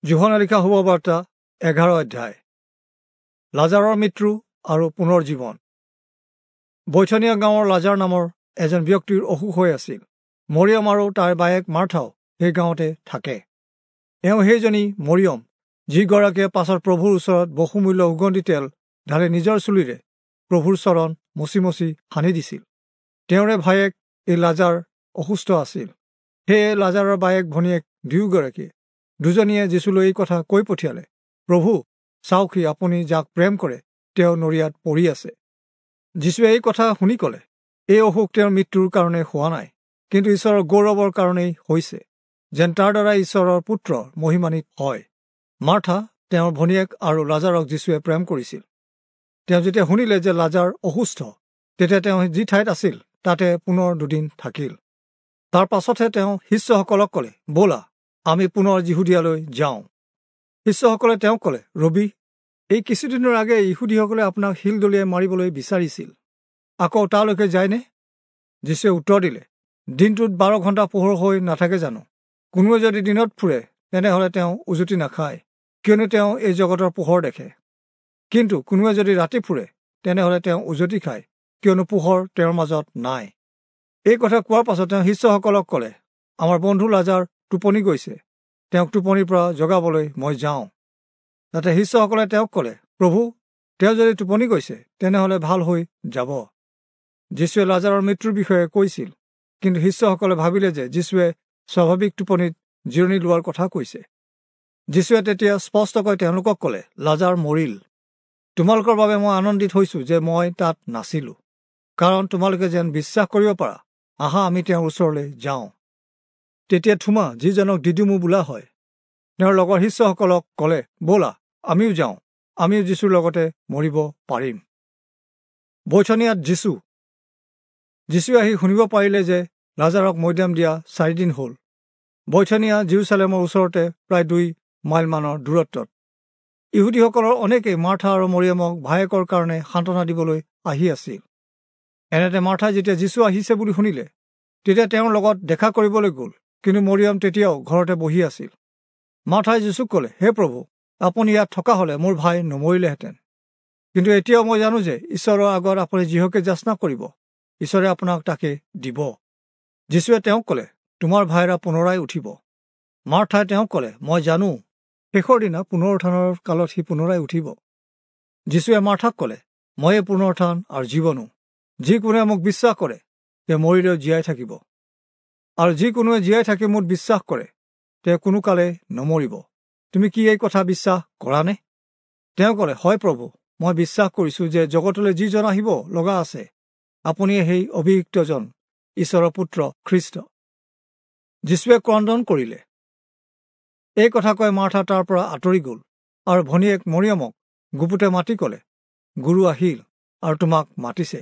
যোহনে লিখা শুভবাৰ্তা 11 অধ্যায়। লাজাৰৰ মৃত্যু আৰু পুনৰ জীৱন। বৈথনিয়া গাঁৱৰ লাজাৰ নামৰ এজন ব্যক্তিৰ অসুখ হৈ আছিল। মৰিয়ম আৰু তাইৰ বায়েক মাৰ্থাও সেই গাঁৱতে থাকে। এওঁ সেইজনী মৰিয়ম, যিগৰাকীয়ে পাছত প্ৰভুৰ ওচৰত বহুমূল্য সুগন্ধি তেল ঢালি নিজৰ চুলিৰে প্ৰভুৰ চৰণ মচি মচি সানি দিছিল। তেওঁৰে ভায়েক এই লাজাৰ অসুস্থ আছিল। সেয়ে লাজাৰৰ বায়েক ভনীয়েক দুয়োগৰাকীয়ে দুজনীয়ে যীচুলৈ এই কথা কৈ পঠিয়ালে, প্ৰভু চাওকহি, আপুনি যাক প্ৰেম কৰে তেওঁ নৰিয়াত পৰি আছে। যীচুৱে এই কথা শুনি ক'লে, এই অসুখ তেওঁৰ মৃত্যুৰ কাৰণে হোৱা নাই, কিন্তু ঈশ্বৰৰ গৌৰৱৰ কাৰণেই হৈছে, যেন তাৰ দ্বাৰা ঈশ্বৰৰ পুত্ৰ মহিমান্বিত হয়। মাৰ্থা, তেওঁৰ ভনীয়েক আৰু লাজাৰক যীচুৱে প্ৰেম কৰিছিল। তেওঁ যেতিয়া শুনিলে যে লাজাৰ অসুস্থ, তেতিয়া তেওঁ যি ঠাইত আছিল তাতে পুনৰ দুদিন থাকিল। তাৰ পাছতহে তেওঁ শিষ্যসকলক ক'লে, ব'লা আমি পুনৰ যিহুদীয়ালৈ যাওঁ। শিষ্যসকলে তেওঁক ক'লে, ৰবি, এই কিছুদিনৰ আগে ইহুদীসকলে আপোনাক শিল দলিয়াই মাৰিবলৈ বিচাৰিছিল, আকৌ তালৈকে যায়নে? যীচুৱে উত্তৰ দিলে, দিনটোত 12 ঘণ্টা পোহৰ হৈ নাথাকে জানো? কোনোৱে যদি দিনত ফুৰে তেনেহ'লে তেওঁ উজুতি নাখায়, কিয়নো তেওঁ এই জগতৰ পোহৰ দেখে। কিন্তু কোনোৱে যদি ৰাতি ফুৰে তেনেহ'লে তেওঁ উজুতি খায়, কিয়নো পোহৰ তেওঁৰ মাজত নাই। এই কথা কোৱাৰ পাছত তেওঁ শিষ্যসকলক ক'লে, আমাৰ বন্ধু লাজাৰ টোপনি গৈছে, তেওঁক টোপনিৰ পৰা জগাবলৈ মই যাওঁ। তাতে শিষ্যসকলে তেওঁক ক'লে, প্ৰভু, তেওঁ যদি টোপনি গৈছে তেনেহ'লে ভাল হৈ যাব। যীচুৱে লাজাৰৰ মৃত্যুৰ বিষয়ে কৈছিল, কিন্তু শিষ্যসকলে ভাবিলে যে যীচুৱে স্বাভাৱিক টোপনিত জিৰণি লোৱাৰ কথা কৈছে। যীচুৱে তেতিয়া স্পষ্টকৈ তেওঁলোকক ক'লে, লাজাৰ মৰিল। তোমালোকৰ বাবে মই আনন্দিত হৈছোঁ যে মই তাত নাছিলোঁ, কাৰণ তোমালোকে যেন বিশ্বাস কৰিব পাৰা। আহা, আমি তেওঁৰ ওচৰলৈ যাওঁ। তেতিয়া থোমা, যিজনক দিদিমু বোলা হয়, তেওঁৰ লগৰ শিষ্যসকলক ক'লে, ব'লা আমিও যাওঁ, আমিও যীচুৰ লগতে মৰিব পাৰিম। বৈথনিয়াত যীচুৱে আহি শুনিব পাৰিলে যে লাজাৰক মৈদাম দিয়া 4 দিন হ'ল। বৈথনিয়া জিৰচালেমৰ ওচৰতে প্ৰায় 2 মাইলমানৰ দূৰত্বত। ইহুদীসকলৰ অনেকেই মাৰ্থা আৰু মৰিয়মক ভায়েকৰ কাৰণে সান্তনা দিবলৈ আহি আছিল। এনেতে মাৰ্থাই যেতিয়া যীচু আহিছে বুলি শুনিলে, তেতিয়া তেওঁৰ লগত দেখা কৰিবলৈ গ'ল, কিন্তু মৰিয়ম তেতিয়াও ঘৰতে বহি আছিল। মাৰ্থাই যীচুক ক'লে, হে প্ৰভু, আপুনি ইয়াত থকা হ'লে মোৰ ভাই নমৰিলেহেঁতেন। কিন্তু এতিয়াও মই জানো যে ঈশ্বৰৰ আগত আপুনি যিহকে যাচনা কৰিব, ঈশ্বৰে আপোনাক তাকে দিব। যীচুৱে তেওঁক ক'লে, তোমাৰ ভাইৰা পুনৰাই উঠিব। মাৰ্থাই তেওঁক ক'লে, মই জানো শেষৰ দিনা পুনৰুত্থানৰ কালত সি পুনৰাই উঠিব। যীচুৱে মাৰ্থাক ক'লে, ময়ে পুনৰুত্থান আৰু জীৱনো। যি কোনোৱে মোক বিশ্বাস কৰে তেওঁ মৰিলেও জীয়াই থাকিব, আৰু যি কোনোৱে জীয়াই থাকি মোক বিশ্বাস কৰে তেওঁ কোনো কালে নমৰিব। তুমি কি এই কথা বিশ্বাস কৰানে? তেওঁ ক'লে, হয় প্ৰভু, মই বিশ্বাস কৰিছোঁ যে জগতলৈ যিজন আহিব লগা আছে, আপুনিয়ে সেই অভিষিক্তজন, ঈশ্বৰৰ পুত্ৰ খ্ৰীষ্ট। যীচুৱে ক্ৰন্দন কৰিলে। এই কথা কৈ মাৰ্থা তাৰ পৰা আঁতৰি গ'ল আৰু ভনীয়েক মৰিয়মক গুপুতে মাতি ক'লে, গুৰু আহিল আৰু তোমাক মাতিছে।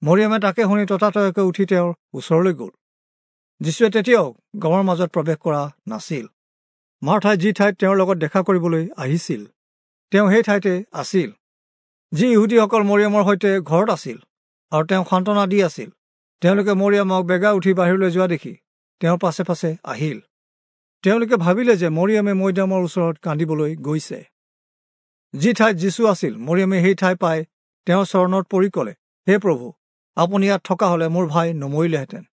মৰিয়মে তাকে শুনি ততাতৈয়াকৈ উঠি তেওঁৰ ওচৰলৈ গ'ল। যীচুৱে তেতিয়াও গাঁৱৰ মাজত প্ৰৱেশ কৰা নাছিল। মাৰ্থাই যি ঠাইত তেওঁৰ লগত দেখা কৰিবলৈ আহিছিল, তেওঁ সেই ঠাইতে আছিল। যি ইহুদীসকল মৰিয়মৰ সৈতে ঘৰত আছিল আৰু তেওঁক সান্তনা দি আছিল, তেওঁলোকে মৰিয়মক বেগা উঠি বাহিৰলৈ যোৱা দেখি তেওঁৰ পাছে পাছে আহিল। তেওঁলোকে ভাবিলে যে মৰিয়মে মৈদামৰ ওচৰত কান্দিবলৈ গৈছে। যি ঠাইত যীচু আছিল, মৰিয়মে সেই ঠাই পাই তেওঁৰ চৰণত পৰি ক'লে, হে প্ৰভু, আপুনি ইয়াত থকা হ'লে মোৰ ভাই নমৰিলেহেঁতেন।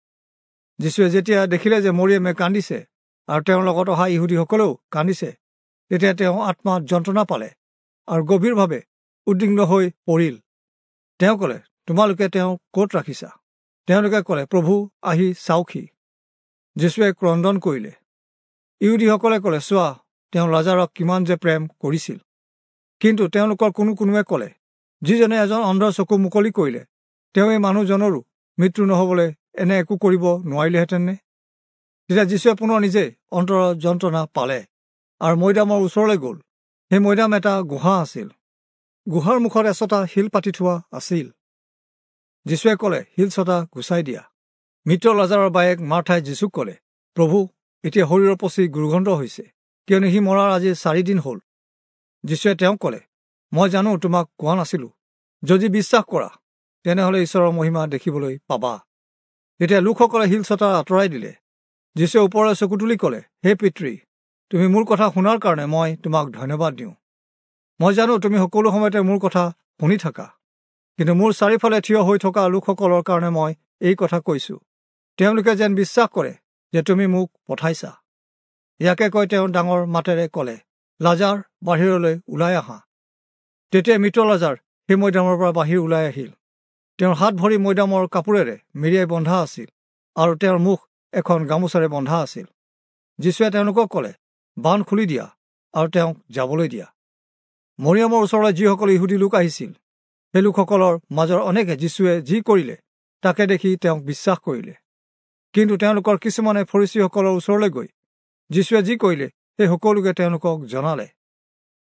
যীচুৱে যেতিয়া দেখিলে যে মৰিয়মে কান্দিছে আৰু তেওঁৰ লগত অহা ইহুদীসকলেও কান্দিছে, তেতিয়া তেওঁ আত্মাত যন্ত্ৰণা পালে আৰু গভীৰভাৱে উদ্বিগ্ন হৈ পৰিল। তেওঁ ক'লে, তোমালোকে তেওঁক ক'ত ৰাখিছা? তেওঁলোকে ক'লে, প্ৰভু, আহি চাওকহি। যীচুৱে ক্ৰন্দন কৰিলে। ইহুদীসকলে ক'লে, চোৱা, তেওঁ লাজাৰক কিমান যে প্ৰেম কৰিছিল। কিন্তু তেওঁলোকৰ কোনো কোনোৱে ক'লে, যিজনে এজন অন্ধৰ চকু মুকলি কৰিলে, তেওঁ এই মানুহজনৰো মৃত্যু নহ'বলৈ এনে একো কৰিব নোৱাৰিলেহেঁতেননে? তেতিয়া যীচুৱে পুনৰ নিজে অন্তৰৰ যন্ত্ৰণা পালে আৰু মৈদামৰ ওচৰলৈ গ'ল। সেই মৈদাম এটা গুহা আছিল। গুহাৰ মুখত এচটা শিল পাতি থোৱা আছিল। যীচুৱে ক'লে, শিলচটা গুচাই দিয়া। মৃত লাজাৰৰ বায়েক মাৰ্থাই যীচুক ক'লে, প্ৰভু, এতিয়া শৰীৰৰ পচি দুৰ্গন্ধ হৈছে, কিয়নো সি মৰাৰ আজি 4 দিন হ'ল। যীচুৱে তেওঁক ক'লে, মই জানো তোমাক কোৱা নাছিলোঁ, যদি বিশ্বাস কৰা তেনেহ'লে ঈশ্বৰৰ মহিমা দেখিবলৈ পাবা। তেতিয়া লোকসকলে শিলচটা আঁতৰাই দিলে। যীচুৱে ওপৰলৈ চকু তুলি ক'লে, হে পিতৃ, তুমি মোৰ কথা শুনাৰ কাৰণে মই তোমাক ধন্যবাদ দিওঁ। মই জানো তুমি সকলো সময়তে মোৰ কথা শুনি থাকা, কিন্তু মোৰ চাৰিওফালে থিয় হৈ থকা লোকসকলৰ কাৰণে মই এই কথা কৈছোঁ, তেওঁলোকে যেন বিশ্বাস কৰে যে তুমি মোক পঠাইছা। ইয়াকে কৈ তেওঁ ডাঙৰ মাতেৰে ক'লে, লাজাৰ, বাহিৰলৈ ওলাই আহা। তেতিয়া মৃত লাজাৰ সেই মৈদামৰ পৰা বাহিৰ ওলাই আহিল। তেওঁৰ হাত ভৰি মৈদামৰ কাপোৰেৰে মেৰিয়াই বন্ধা আছিল আৰু তেওঁৰ মুখ এখন গামোচাৰে বন্ধা আছিল। যীশুৱে তেওঁলোকক ক'লে, বান্ধ খুলি দিয়া আৰু তেওঁক যাবলৈ দিয়া। মৰিয়মৰ ওচৰলৈ যিসকল ইহুদী লোক আহিছিল, সেই লোকসকলৰ মাজৰ অনেকে যীশুৱে যি কৰিলে তাকে দেখি তেওঁক বিশ্বাস কৰিলে। কিন্তু তেওঁলোকৰ কিছুমানে ফৰীচীসকলৰ ওচৰলৈ গৈ যীশুৱে যি কৰিলে সেই সকলোকে তেওঁলোকক জনালে।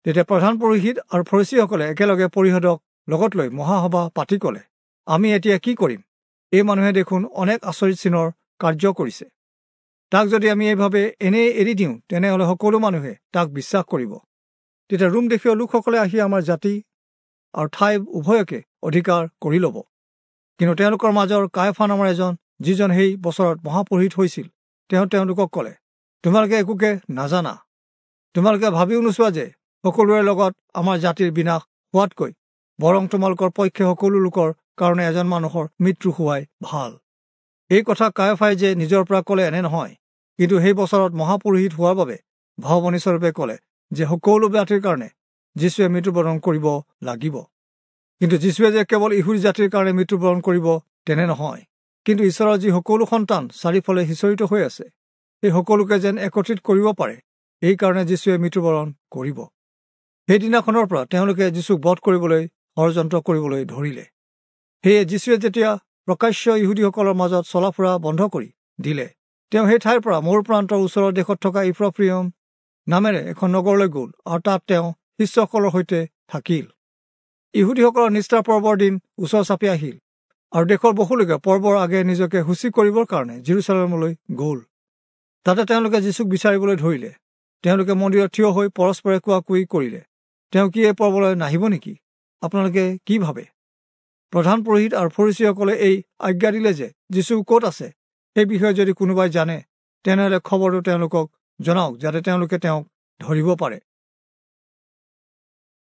তেতিয়া প্ৰধান পুৰোহিত আৰু ফৰীচীসকলে একেলগে পৰিষদক লগত লৈ মহাসভা পাতি ক'লে, আমি এতিয়া কি কৰিম? এই মানুহে দেখোন অনেক আচৰিত চিনৰ কাৰ্য কৰিছে। তাক যদি আমি এইভাৱে এনেই এৰি দিওঁ, তেনেহ'লে সকলো মানুহে তাক বিশ্বাস কৰিব। তেতিয়া ৰোম দেশীয় লোকসকলে আহি আমাৰ জাতি আৰু ঠাই উভয়কে অধিকাৰ কৰি ল'ব। কিন্তু তেওঁলোকৰ মাজৰ কায়ফা নামৰ এজন, যিজন সেই বছৰত মহাপুৰোহিত হৈছিল, তেওঁ তেওঁলোকক ক'লে, তোমালোকে একোকে নাজানা। তোমালোকে ভাবিও নোচোৱা যে সকলোৰে লগত আমাৰ জাতিৰ বিনাশ হোৱাতকৈ বৰং তোমালোকৰ পক্ষে সকলো লোকৰ কাৰণে এজন মানুহৰ মৃত্যু হোৱাই ভাল। এই কথা কায়ফাই যে নিজৰ পৰা ক'লে এনে নহয়, কিন্তু সেই বছৰত মহাপুৰোহিত হোৱাৰ বাবে ভাৱবাণীস্বৰূপে ক'লে যে সকলো জাতিৰ কাৰণে যীশুৱে মৃত্যুবৰণ কৰিব লাগিব। কিন্তু যীশুৱে যে কেৱল ইহুদী জাতিৰ কাৰণে মৃত্যুবৰণ কৰিব তেনে নহয়, কিন্তু ঈশ্বৰৰ যি সকলো সন্তান চাৰিওফালে সিঁচৰিত হৈ আছে, সেই সকলোকে যেন একত্ৰিত কৰিব পাৰে, এইকাৰণে যীশুৱে মৃত্যুবৰণ কৰিব। সেইদিনাখনৰ পৰা তেওঁলোকে যীশুক বধ কৰিবলৈ ষড়যন্ত্ৰ কৰিবলৈ ধৰিলে। সেয়ে যীশুৱে যেতিয়া প্ৰকাশ্য ইহুদীসকলৰ মাজত চলাফুৰা বন্ধ কৰি দিলে, তেওঁ সেই ঠাইৰ পৰা মৰু প্ৰান্তৰ ওচৰৰ দেশত থকা ইফ্ৰফ্ৰিয়ম নামেৰে এখন নগৰলৈ গ'ল আৰু তাত তেওঁ শিষ্যসকলৰ সৈতে থাকিল। ইহুদীসকলৰ নিষ্ঠা পৰ্বৰ দিন ওচৰ চাপি আহিল আৰু দেশৰ বহুলোকে পৰ্বৰ আগে নিজকে সূচী কৰিবৰ কাৰণে জিৰচালেমলৈ গ'ল। তাতে তেওঁলোকে যীশুক বিচাৰিবলৈ ধৰিলে। তেওঁলোকে মন্দিৰত থিয় হৈ পৰস্পৰে কোৱা কুই কৰিলে, তেওঁ কি এই পৰ্বলৈ নাহিব নেকি? আপোনালোকে কি ভাবে? প্ৰধান পুৰোহিত আৰু ফৰীচীসকলে এই আজ্ঞা দিলে যে যীশু ক'ত আছে সেই বিষয়ে যদি কোনোবাই জানে, তেনেহ'লে খবৰটো তেওঁলোকক জনাওক, যাতে তেওঁলোকে তেওঁক ধৰিব পাৰে।